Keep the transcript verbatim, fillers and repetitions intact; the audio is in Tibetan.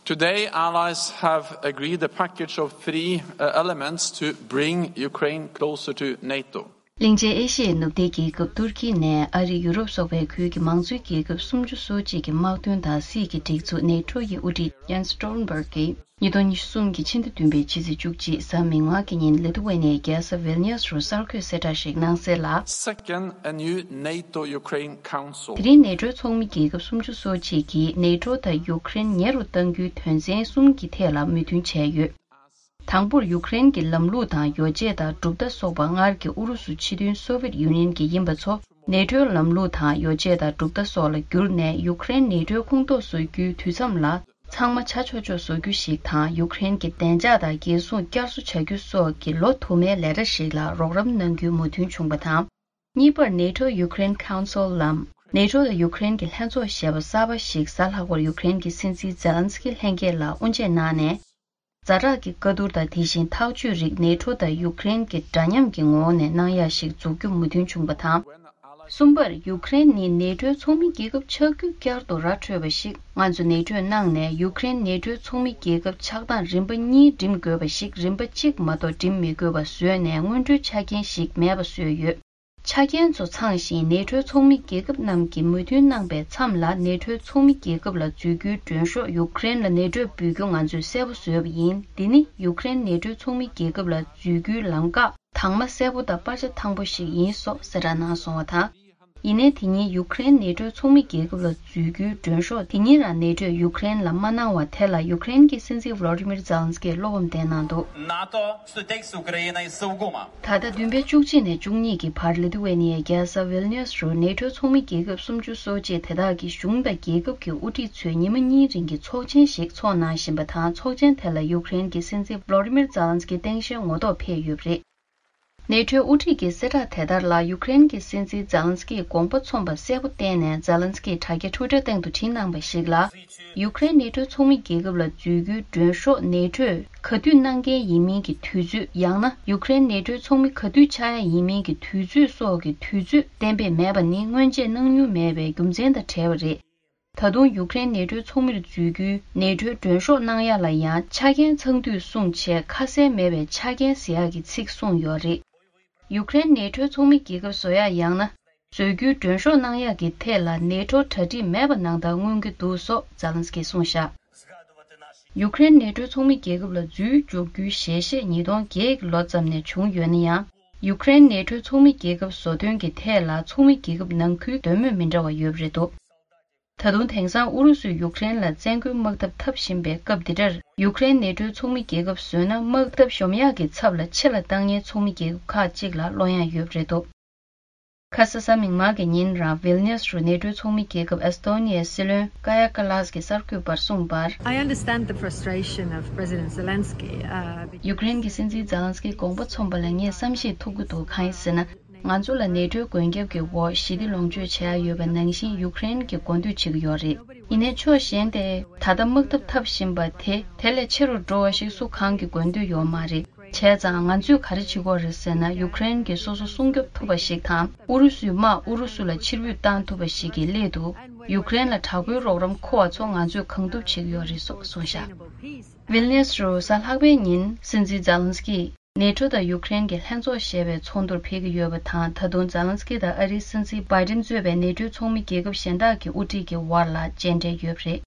Today, allies have agreed a package of three uh, elements to bring Ukraine closer to NATO. གླིང་ཆེན་ཨེ་ཤི་ཡའི་ནུབ་མཐའི་རྒྱལ་ཁབ་ཏུར་ཀི་ནས་ཨ་རི། ཡུ་རོབ་སོགས་པའི་ཁུལ་གྱི་མང་གཙོའི་རྒྱལ་ཁབ་སུམ་ཅུ་སོ་གཅིག་གི་དམག་དོན་དང་སྲིད་ཀྱི་སྒྲིག་འཛུགས་ནེ་ཊོ་ཡི་དབུ་ཁྲིད་ཡན་སི་སྟོལ་ན་བྷར་གྱིས་ཉིས་སྟོང་ཉི་ཤུ་གསུམ་གྱི་ཕྱི་ཟླ་བདུན་པའི་ཕྱི་ཚེས་བཅུ་གཅིག་གཟའ་མིག་དམར་གྱི་ཉིན་ལི་ཐུ་ཝེ་ནི་ཡའི་རྒྱལ་ས་ཝིལ་ནིའུ་སི་རུ་གསར་འགོད་གསལ་བསྒྲགས་ཤིག་གནང་གསལ་ལ། Second, a new NATO Ukraine Council. དེ་རིང་ནེ་ཊོའི་ཚོགས་མི་རྒྱལ་ཁབ་སུམ་ཅུ་སོ་གཅིག་གིས་ནེ་ཊོ་དང་ཡུ་ཀེ་རེན་ཉེ་རུ་གཏང་རྒྱུའི་དོན་ཚན་གསུམ་གྱི་ཐད་ལ་མོས་མཐུན་བྱས་ཡོད། དང་པོར་ཡུ་ཀེ་རེན་གྱི་ལམ་ལུགས་དང་ཡོ་བྱད་དང་གྲུབ་མཐའ་སོགས་པ་སྔར་གྱི་ཨུ་རུ་སུ་ཕྱི་དོན་སོ་ཝེད་ཡུ་ནི་ཡན་གྱི་ཡིན་པ་ཚོ་ནེ་ཊོའི་ལམ་ལུགས་དང་ཡོ་བྱད་དང་གྲུབ་མཐའ་སོགས་ལ་བསྒྱུར་ནས་ཡུ་ཀེ་རེན་ནེ་ཊོའི་ཁོངས་གཏོགས་བཟོ་རྒྱུའི་དུས་མཚམས་ལ་ཚང་མ་ཆ་ཆོག་ཆོག་བཟོ་རྒྱུ་ཞིག་དང་། ཡུ་ཀེ་རེན་གྱི་བདེ་འཇགས་དང་རྒྱལ་སྲུང་བསྐྱར་གསོ་བྱ་རྒྱུ་སོགས་ཀྱི་ལོ་དུ་མའི་ལས་གྲྭ་ཞིག་ལ་རོགས་རམ་གནང་རྒྱུའི་མོས་མཐུན་བྱུང་པ་དང་། གཉིས་པར་ནེ་ཊོ་ཡུ་ཀེ་རེན་ཁའུན་སིལ་ལམ། ནེ་ཊོ་དང་ཡུ་ཀེ་རེན་གྱི་ལྷན་ཚོགས་ཞེས་པ་གསར་པ་ཞིག་གཟའ་ལྷག་པར་ཡུ་ཀེ་རེན་གྱི་སྲིད་འཛིན་ཛེ་ལན་སི་ཀི་ལྷན་རྒྱས་ལ་དབུ་འབྱེད་གནང་ནས། ཛ་དྲག་གི་བཀའ་བསྡུར་དང་དེ་བཞིན་ཐག་གཅོད་རིགས་ནེ་ཊོ་དང་ཡུ་ཀེ་རེན་གྱི་འདྲ་མཉམ་གྱི་ངོ་བོ་ནས་གནང་ཡ་ཞིག་འཛུགས་རྒྱུ་མོས་མཐུན་བྱུང་པ་དང་། གསུམ་པར། ཡུ་ཀེ་རེན་ནི་ནེ་ཊོའི་ཚོགས་མི་རྒྱལ་ཁབ་ཆགས་རྒྱུ་བསྐྱར་དུ་ར་འཕྲོད་པ་ཞིག་ང་ཚོས་ནེ་ཊོའི་ནང་ནས་ཡུ་ཀེ་རེན་ནེ་ཊོའི་ཚོགས་མི་རྒྱལ་ཁབ་ཆགས་སྟངས་རིམ་པ་གཉིས་འགྲིམ་དགོས་པ་ཞིག་རིམ་པ་གཅིག་མ་གཏོགས་འགྲིམ་མི་དགོས་པ་བཟོས་ནས་སྔོན་འགྲོའི་ཆ་རྐྱེན་ཞིག་མེད་པ་བཟོས་ཡོད། ཆ་རྐྱེན་ཚོ་ཚང་ཞིང་ནེ་ཊོའི་ཚོགས་མི་རྒྱལ་ཁབ་རྣམས་ཀྱིས་མོས་མཐུན་གནང་པའི་མཚམས་ལ་ནེ་ཊོའི་ཚོགས་མི་རྒྱལ་ཁབ་ལ་འཛུལ་རྒྱུའི་མགྲོན་ཤོག་ཡུ་ཀེ་རེན་ལ་ནེ་ཊོས་འབུལ་རྒྱུ་ང་ཚོས་གསལ་པོ་བཟོས་པ་ཡིན། འདི་ནི་ཡུ་ཀེ་རེན་ནེ་ཊོའི་ཚོགས་མི་རྒྱལ་ཁབ་ལ་འཛུལ་རྒྱུའི་ལམ་ཁ་དྭངས་མ་གསལ་པོ་དང་པར་ཆ་ཐང་པོ་ཞིག་ཡིན་སོགས་གསལ་བསྒྲགས་གནང་སོང་བ་དང་། ཡིན་ནའི་དེ་ཉིན་ཡུ་ཀེ་རེན་ནེ་ཊོའི་ཚོགས་མི་རྒྱལ་ཁབ་ལ་འཛུལ་རྒྱུའི་མགྲོན་ཤོག་དེ་ཉིན་རང་ནེ་ཊོས་ཡུ་ཀེ་རེན་ལ་མ་གནང་བ་དེ་ལ་ཡུ་ཀེ་རེན་གྱི་སྲིད་འཛིན་ཝོ་ལོ་ཌི་མིར་ཛེ་ལན་སི་ཀིས་བློ་ཕམ་བསྟན་གནང་འདུག་ནཱ་ཏོ་སུ་ཏེག་སུ་ཀ་རེ་ན་སུ་གོ་མ། ད་ལྟ་བདུན་པའི་བཅུ་གཅིག་ནས་བཅུ་གཉིས་ཀྱི་བར་ལི་ཐུ་ཝེ་ནི་ཡའི་རྒྱལ་ས་ཝིལ་ནིའུ་སི་རུ་ནེ་ཊོའི་ཚོགས་མི་རྒྱལ་ཁབ་སུམ་ཅུ་སོ་གཅིག་དེ་དག་གི་གཞུང་དང་རྒྱལ་ཁབ་ཀྱི་དབུ་ཁྲིད་ཚོས་ཉི་མ་གཉིས་རིང་གི་ཚོགས་ཆེན་ཞིག་འཚོགས་གནང་བཞིན་པ་དང་། ཚོགས་ཆེན་དེ་ལ་ཡུ་ཀེ་རེན་གྱི་སྲིད་འཛིན་ཝོ་ལོ་ཌི་མིར་ཛེ་ལན་སི་ཀི་སྟངས་དཔྱལ་ངོ་ཐོག་ཕེབས་ཡོད་པ་རེད། ནེ་ཊོའི་དབུ་ཁྲིད་ཀྱི་གསལ་བསྒྲགས་དེ་ལྟར་ལ། ཡུ་ཀེ་རེན་གྱི་སྲིད་འཛིན་ཛེ་ལན་སི་ཀིས་དགོངས་པ་མཚོམས་པ་གསལ་པོ་བསྟན་ནས། ཛེ་ལན་སི་ཀིས་དྲ་རྒྱ་ཊུ་ཝི་ཊར་སྟེང་དུ་བྲིས་གནང་པ་ཞིག་ལ། ཡུ་ཀེ་རེན་ནེ་ཊོའི་ཚོགས་མི་རྒྱལ་ཁབ་ལ་འཛུལ་རྒྱུའི་མགྲོན་ཤོག་ནེ་ཊོས་ག་དུས་གནང་གལ་ཡིན་མིན་གྱི་དུས་ཚོད། ཡང་ན་ཡུ་ཀེ་རེན་ནེ་ཊོའི་ཚོགས་མི་ག་དུས་ཆགས་ཡ་ཡིན་མིན་གྱི་དུས་ཚོད་སོགས་ཀྱི་དུས་ཚོད་གཏན་འབེབས་མེད་པ་ནི་སྔོན་ཆད་གནང་མྱོང་མེད་པའི་རྒྱུ་མཚན་དང་བྲལ་བ་རེད། ད་དུང་ཡུ་ཀེ་རེན་ནེ་ཊོའི་ཚོགས་མིར་འཛུལ་རྒྱུའི་ནེ་ཊོའི་མགྲོན་ཤོག་གནང་ཡ་ལ་ཡང་ཆ་རྐྱེན་ཚང་དུས་གསུངས་བྱས། ཁ་གསལ་མེད་པའི་ཆ་རྐྱེན་ཟེར་ཡག་གི་ཚིག་གསུངས་ཡོད་རེད། ཡུ་ཀེ་རེན་ནེ་ཊོའི་ཚོགས་མི་རྒྱལ་ཁབ་བཟོ་ཡ་ཡང་ན་བཟོ་རྒྱུའི་མགྲོན་ཤོག་གནང་ཡ་གི་ཐད་ལ་ནེ་ཊོ་གྲ་སྒྲིག་མེད་པ་ནང་ལྟར་མངོན་གྱི་འདུག་སོགས་ཛེ་ལན་སི་ཀིས་གསུངས་བཞག་ཡུ་ཀེ་རེན་ནེ་ཊོའི་ཚོགས་མི་རྒྱལ་ཁབ་ལ་འཛུལ་འཇུག་རྒྱུའི་ཞལ་བཞེས་ཉིས་སྟོང་བརྒྱད་ཀྱི་ལོ་ཙམ་ནས་བྱུང་ཡོད་ན་ཡང་། ཡུ་ཀེ་རེན་ནེ་ཊོའི་ཚོགས་མི་རྒྱལ་ཁབ་བཟོ་དོན་གྱི་ཐད་ལ་ཚོགས་མི་རྒྱལ་ཁབ་ནང་ཁུལ་འདོད་མོས་མི་འདྲ་བ་ཡོད་པ་རེད་འདུག་ད་དུང་དེང་སང་ཨུ་རུ་སུས་ཡུཀ་རེན་ལ་བཙན་རྒོལ་དམག་འཐབ་འཐབ་བཞིན་པའི་སྐབས་འདི་འདྲར། ཡུཀ་རེན་ནེ་ཊོའི་ཚོགས་མི་རྒྱལ་ཁབ་བཟོས་ན། དམག་འཐབ་གཞོམ་ཡག་གི་ཚབ་ལ་ཆེ་ལ་བཏང་མཁན་ཚོགས་མི་རྒྱལ་ཁབ་ཁག་ཅིག་ལ་བློ་གཡེང་ཡོད་པ་རེད་འདུག་ཁ་ས་གཟའ་མིག་དམར་གྱི་ཉིན་རང་ཝིལ་ནིས་རུ་ནེ་ཊོའི་ཚོགས་མི་རྒྱལ་ཁབ་ཨེ་སི་ཏོ་ནི་ཡའི་སྲིད་བློན་ཀ་ཡ་ཀ་ལཱས་ཀྱིས་གསར་འགོད་པར་གསུངས་པར། I understand the frustration of President Zelensky, uh, because ཡུཀ་རེན་གྱི་སྲིད་འཛིན་ཛེ་ལན་སི་ཀིས་དགོངས་པ་མཚོམས་པ་ལ་ངས་བསམ་ཤེས་ཐུབ་ཀྱི་འདུག་གང་ཡིན་ཟེར་ན། ང་ཚོ་ལ་ནེ་ཊོའི་མགོན་སྐྱབས་ཀྱི་འོག་ཞི་བདེ་ལོངས་སྤྱོད་བྱེད་ཡ་ཡོད་པ་ནང་བཞིན་ཡུཀ་རེན་གྱིས་མགོ་འདོད་བྱེད་ཀྱི་ཡོད་རེད། ཡིན་ནའི་ཕྱོགས་གཞན་དེ། ད་ལྟ་དམག་འཐབ་འཐབ་བཞིན་པ་དེ་དེ་ལས་ཆེ་རུ་འགྲོ་བ་ཞིག་སུ་གང་གིས་མགོ་འདོད་ཡོད་མ་རེད། བྱས་ཙང་ང་ཚོས་ག་རེ་བྱེད་དགོས་རེད་ཟེར་ན། ཡུཀ་རེན་གྱིས་སོ་སོ་སྲུང་སྐྱོབ་ཐུབ་པ་ཞིག་དང་། ཨུ་རུ་སུའི་དམག་ཨུ་རུ་སུ་ལ་ཕྱིར་འབུད་བཏང་ཐུབ་པ་ཞིག་གི་སླད་དུ། ཡུཀ་རེན་ལ་དྲག་པོའི་རོགས་རམ་མཁོ་བ་ཚོ་ང་ཚོས་གང་ཐུབ་བྱེད་ཀྱི་ཡོད་རེད་སོགས་གསུངས་བཞག་ཝིལ་ནིས་རུ་གཟའ་ལྷག་པའི་ཉིན་སྲིད་འཛིན་ཛེ་ལན་སི་ཀིས། ནེ་ཊོ་དང་ཡུཀ་རེན་གྱི་ལྷན་ཚོགས་ཞེས་པའི་ཚོགས་འདུར་ཕེབས་ཀྱི་ཡོད་པ་དང་། ད་དུང་ཛེ་ལན་སི་ཀི་དང་ཨ་རིའི་སྲིད་འཛིན་བྷའི་ཌེན་གཙོས་པའི་ནེ་ཊོའི་ཚོགས་མི་རྒྱལ་ཁབ་གཞན་དག་གི་དབུ་ཁྲིད་ཀྱི་དབར་ལ་མཇལ་འཕྲད་ཡོད་པ་རེད།